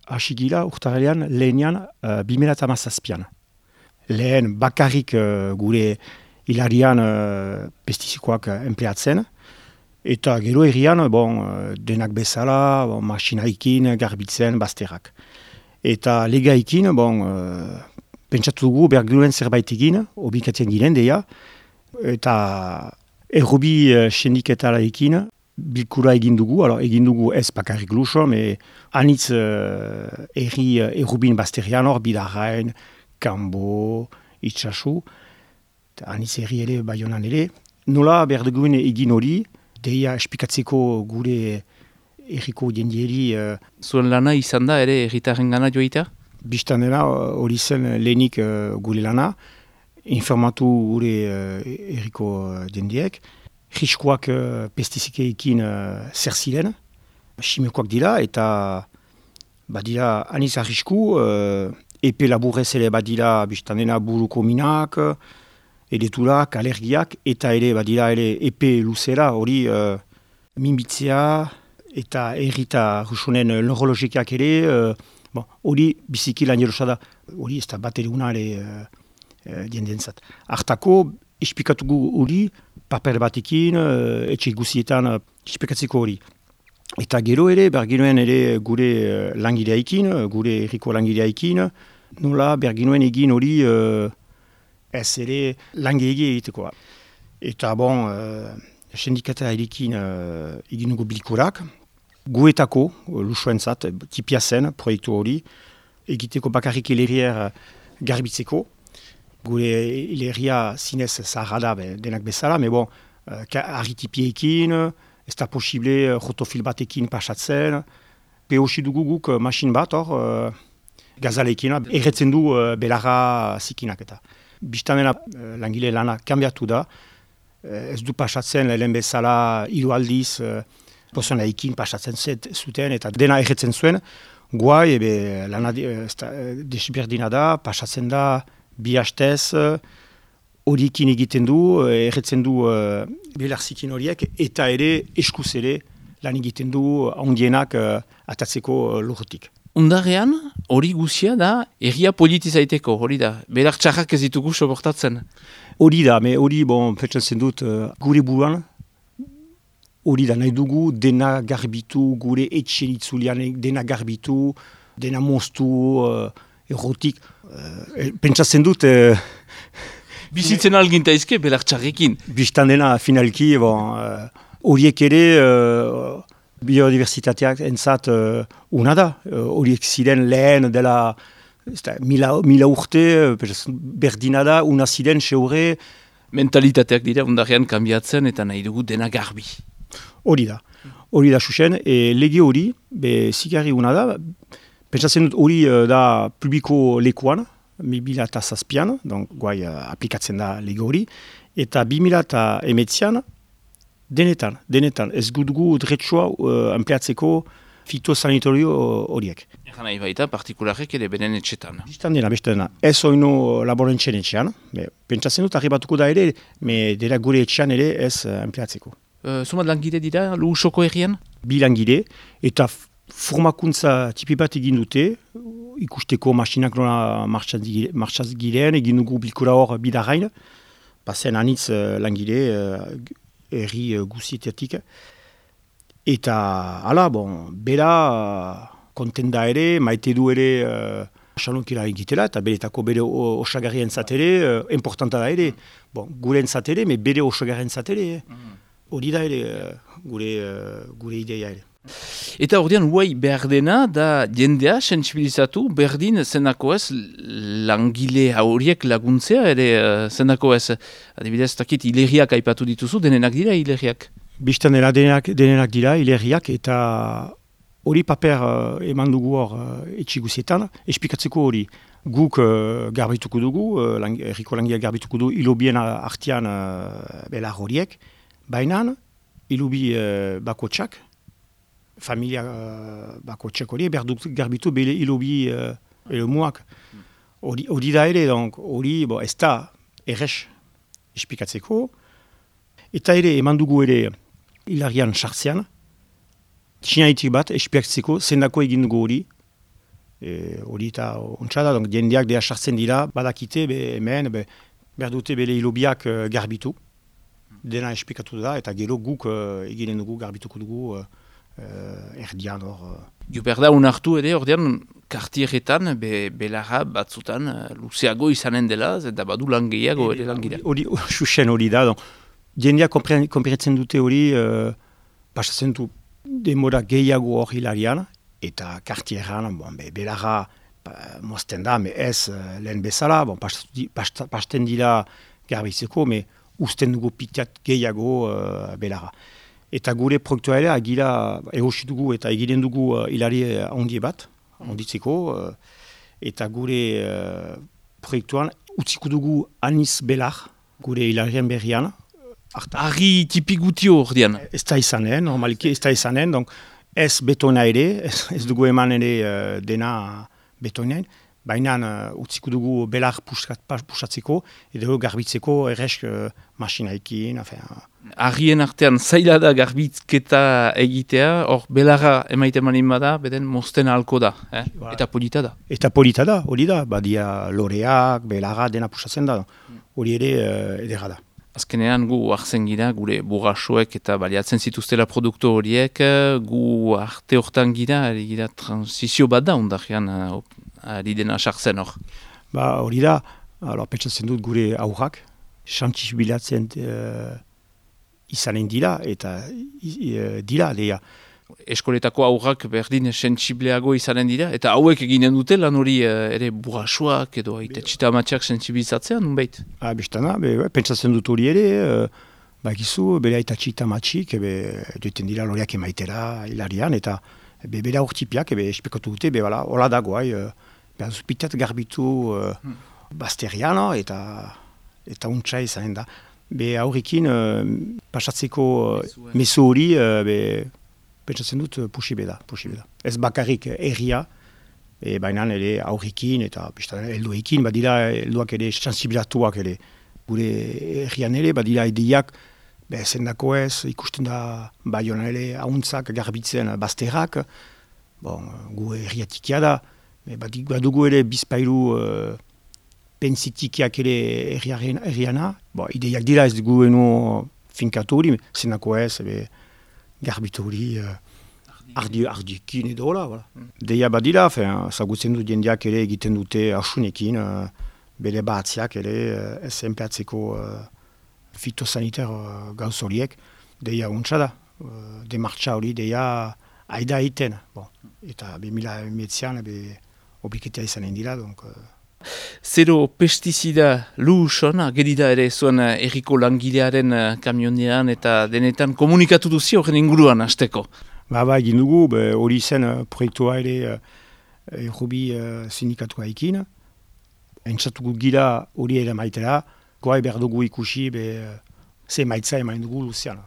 hasi gila urtarrilean lehenean 2017an. Lehen bakarrik gure hilarian pestizikoak empleatzen, eta gero herrian denak bezala, masinaikin garbitzen bazterrak. Eta legaikin, pentsatu dugu behar ginuen zerbait egin, obikatzen giren deia, eta errobi sindiketaraekin bilkura egin dugu ez bakarrik luso, anitz errubin bazterian hor, Bidarrain, Kanbo, Itxasu, anitz erri ere, Baionan ere. Nola behar duguen egin hori, deia espikatzeko gure erriko jendieri. Zuen lana izan da ere erritarren gana joita? Bistan dela hori zen lehenik gure lana, informatu gure erriko jendiek, riskoak pestizikeekin zer ziren, simikoak dira, eta badira aniz arrisku, epe laburrez ere badira bistan dela buruko minak, edeturak, alergiak, eta ere badira ere epe luzera hori minbitzea, eta errita rusunen neurologikak ere, hori biziki lan jerosa da, hori ez da bat ere una ere jendentzat. Artako, esplikatugu hori, paper batekin, etxe guzietan esplikatzeko hori. Eta gero ere, berginuen ere gure langileaikin, gure erriko langileaikin, nola berginuen egin hori ez ere langilegi egitekoa. Eta sindikata erikin egin dugu bilkurak, guetako, lusuentzat, tipia zen, proiektu hori, egiteko bakarrik hilerier garbitzeko. Gure hileria zinez zaharra da denak bezala, arritipiekin, ez da posible rotofil batekin pasatzen. Behosi dugu guk masin bat hor, gazalekin, erretzen du belarra zikinak eta. Biztanena langile lana kanbiatu da, ez du pasatzen lehen bezala hiru aldiz, pozonaikin pasatzen zuten eta dena erretzen zuen, guai, lana desberdina da, pasatzen da, bi hastez, horiekin egiten du, erretzen du belarzikin horiek, eta ere eskuz ere lan egiten du ondienak atatzeko lurrutik. Undarrean, hori guzia da, erria politizaiteko, hori da, belar txarrak ez ditugu soportatzen. Hori da, hori, pentsatzen dut, gure buruan, hori da, nahi dugu dena garbitu, gure etxen itzulian dena garbitu, dena moztu, errotik. Pentsatzen dut... Bizitzen algintaizke belar txarrekin. Bistan dena finalki, horiek ere biodiversitateak entzat una da. Horiek ziren lehen dela mila urte, berdina da, una ziren seure. Mentalitateak dira undarrean kanbiatzen eta nahi dugu dena garbi. Hori da xuxen, lege hori, zigarri una da, pentsatzen dut hori da publiko lekuan, 2007an, guai aplikatzen da lege hori, eta 2008an denetan, ez gudugu dretsua empleatzeko fitosanitorio horiek. Egan nahi baita, partikularrek ere beren etxetan. Bistan dena, ez oino laborentzen etxean, pentsatzen dut arribatuko da ere, dela gure etxean ere ez empleatzeko. Zumat langile dira, Luhusoko herrian? Bi langile, eta formakuntza tipi bat egin dute, ikusteko masinak nola martxaz giren, egin dugu bilkura hor Bidarrain, bazen anitz langile herri guzietatik. Eta, bera kontenda ere, maite du ere xalonkila egitela, eta beretako bere osagarrien zatere, importanta da ere. Gure entzatere, bere osagarrien zatere. Hori da ere gure ideia ere. Eta ordean huai behar dena da jendea sensibilizatu berdin zenako ez langile horiek laguntzea ere zenako ez. Adibidez, takit hileriak aipatu dituzu, denenak dira hileriak? Bistan dela denenak dira hileriak eta hori paper eman dugu hor etxiguzietan, espikatzeko hori. Guk garbituko dugu, erriko langileak garbituko du hilobien artean belar horiek, baina hilobi bakotxak, familia bakotxak hori, berduk garbitu bele hilobi elomuak. Hori da ere, hori ez da errex espikatzeko, eta ere eman dugu ere hilarian sartzean, txinaitik bat espikatzeko zendako egin dugu hori, hori eta ontsa da, jendeak deha sartzen dira, badakite, hemen, behar dute bere hilobiak garbitu, dena esplikatu da, eta gero guk eginen dugu, garbituko dugu erdian hor. Berda unartu ere, ordean, kartieretan, belarra batzutan, luzeago izanen dela, eta badu lan gehiago ere lan gira. Xuxen hori da, jendeak konpiratzen dute hori, pasatzen du demora gehiago hor hilarian, eta kartieran, belarra mozten da, ez lehen bezala, pasten dira garbitzeko, usten dugu pitiat gehiago belarra. Eta gure proiektua ere, agira egosi dugu eta egiten dugu hilari handi bat, handitzeko, eta gure proiektuan utziko dugu aniz belar, gure hilarien berrian. Argi tipi gutio ordean? Ez da izanen, normaliki ez da izanen, ez betona ere, ez dugu eman ere dena betonean, baina utziko dugu belar pusatzeko, edo garbitzeko erresk masinaikin. Argien artean zaila da garbitzketa egitea, hor belarra emaiten manin bada, beden mozten ahalko da, eta polita da. Eta polita da, hori da, badia loreak, belarra dena pusatzen da, hori ere edera da. Azkenean gu hartzen gira, gure burrasuek eta baliatzen zituztela produktu horiek, gu arte hortan gira transizio bat da ondarean ari dena sartzen hor. Hori da, pentsatzen dut gure aurrak, xantziz bilatzen izanen dira, eta dira, deia. Eskoletako aurrak berdin sentsibleago izanen dira, eta hauek eginen dute lan hori ere burrasuak edo txita amatxak sentsibilizatzean, nunbait? Bestana, pentsatzen dut hori ere, bakizu, bere aita txita amatxik, dueten dira loreak emaitera hilarian, eta bere aurtipiak, espekatu dute, hola dago, behar zupitat garbitu bazterian, eta untsa izanen da. Aurrekin, pasatzeko mezu hori, pentsatzen dut posible da. Ez bakarrik erria, baina ere aurrekin eta helduekin, badira helduak ere sensibilatuak ere. Gure errian ere, badira ideiak, zendako ez, ikusten da baiona ere ahuntzak garbitzen bazterrak, gu erriatikia da, badugu ere bizpailu pensitikiak ere erriana, ideiak dira ez dugu finkatu hori, zendako ez, garbitu hori ardiekin edo hola. Deia badira, zagutzen dut jendeak ere egiten dute asunekin, bere batziak ere ez enpeatzeko fitosanitar gauz horiek, deia untsa da, demartxa hori deia aida egiten. Eta 2000 obiketea izanen dira, Zero pestizida luhusona, gerida ere zuen erriko langilearen kamionean eta denetan komunikatu duzi horren inguruan hasteko. Egin dugu, hori zen proiektua ere errobi sindikatua ekin. Entzatuko gira hori ere maitera, goai behar dugu ikusi ze maitza emain dugu luzean.